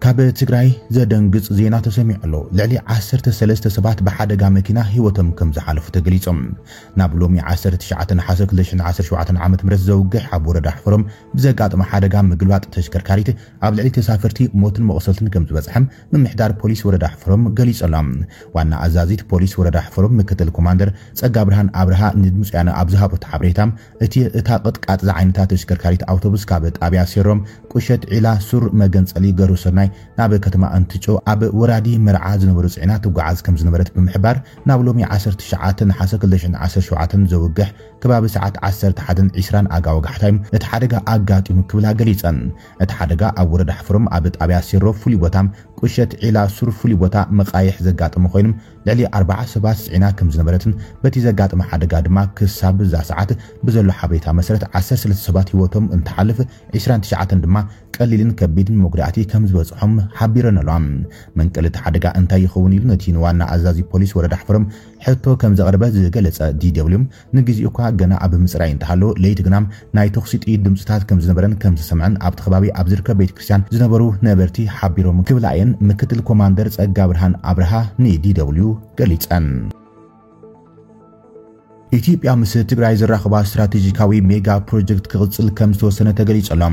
ካብ ትግራይ ዘደንግጽ ዜና ተሰሚዑ ኣሎ። ልዕሊ ዓሰርተ ሰለስተ ሰባት ብሓደጋ መኪና ህይወቶም ከም ዝሓለፉ ተገሊጾም። ናብ ሎሚ ዓሰርተ ትሽዓተ ነሓሰ ክልተ ሽሕን ዓሰርተ ሸውዓተን ዓመተ ምህረት ዘውግሕ ኣብ ወረዳ ሕፈሮም ብዘጋጠመ ሓደጋ ምግልባጥ ተሽከርካሪት ኣብ ልዕሊ ተሳፈርቲ ሞትን መቑሰልትን ከም ዝበጽሐም ምምሕዳር ፖሊስ ወረዳ ሕፈሮም ገሊጹ ኣሎ። ዋና ኣዛዚት ፖሊስ ወረዳ ሕፈሮም ምክትል ኮማንደር ጸጋ ብርሃን ኣብርሃ ንድምፂ ወያነ ኣብ ዝሃቦ ሓበሬታ እቲ እታ ቅጥቃጥ ዝዓይነታ ተሽከርካሪት ኣውቶቡስ ካብ ጣብያ ሴሮም ቁሸት ዒላ ሱር መገንጸሊ ገሩ ሰናይ ናብ ከተማ እንትጮ ኣብ ወራዲ መርዓ ዝነበሩ ጽዒና ትጓዓዝ ከም ዝነበረት ብምሕባር ናብ ሎሚ ዓሰርተ ትሽዓተ ነሓሰ ክልተ ሽሕን ዓሰርተ ሸውዓተን ዘውግሕ ከባቢ ሰዓት ዓሰርተ ሓደን ዒስራን ኣጋ ወጋሕታ እዩ እቲ ሓደጋ ኣጋጢሙ ክብላ ገሊጸን። እቲ ሓደጋ ኣብ ወረዳ ሕፍሮም ኣብ ጣብያ ሴሮ ፍሉይ ቦታ ቁሸት ዒላ ሱር ፍሉይ ቦታ መቃይሕ ዘጋጠመ ኮይኖም ልዕሊ ኣርባዓ ሰባት ጽዒና ከም ዝነበረትን በቲ ዘጋጠመ ሓደጋ ድማ ክሳብ እዛ ሰዓት ብዘሎ ሓበሬታ መሰረት ዓሰርተ ሰለስተ ሰባት ህይወቶም እንትሓልፍ ዒስራን ትሽዓተን ድማ ቀሊልን ከቢድን መጉዳእቲ ከም ዝበጽሖም ሓቢረን ኣለዋ። መንቀሊ እቲ ሓደጋ እንታይ ይኸውን ኢሉ ነቲ ንዋና ኣዛዚ ፖሊስ ወረዳ ሕፍሮም ሕቶ ከም ዘቕረበ ዝገለጸ ዲ ደብልዩ ንግዜኡ እኳ ገና ኣብ ምጽራይ እንተሃሎ ለይቲ ግና ናይ ተኹሲ ጥይት ድምፅታት ከም ዝነበረን ከም ዝተሰምዐን ኣብቲ ከባቢ ኣብ ዝርከብ ቤተ ክርስቲያን ዝነበሩ ነበርቲ ሓቢሮም ክብላ እየን ምክትል ኮማንደር ጸጋ ብርሃን ኣብርሃ ንዲ ደብልዩ ገሊጸን። ኢትዮጵያ ምስ ትግራይ ዘራኽባ ስትራቴጂካዊ ሜጋ ፕሮጀክት ክቕጽል ከም ዝተወሰነ ተገሊጹ ኣሎ።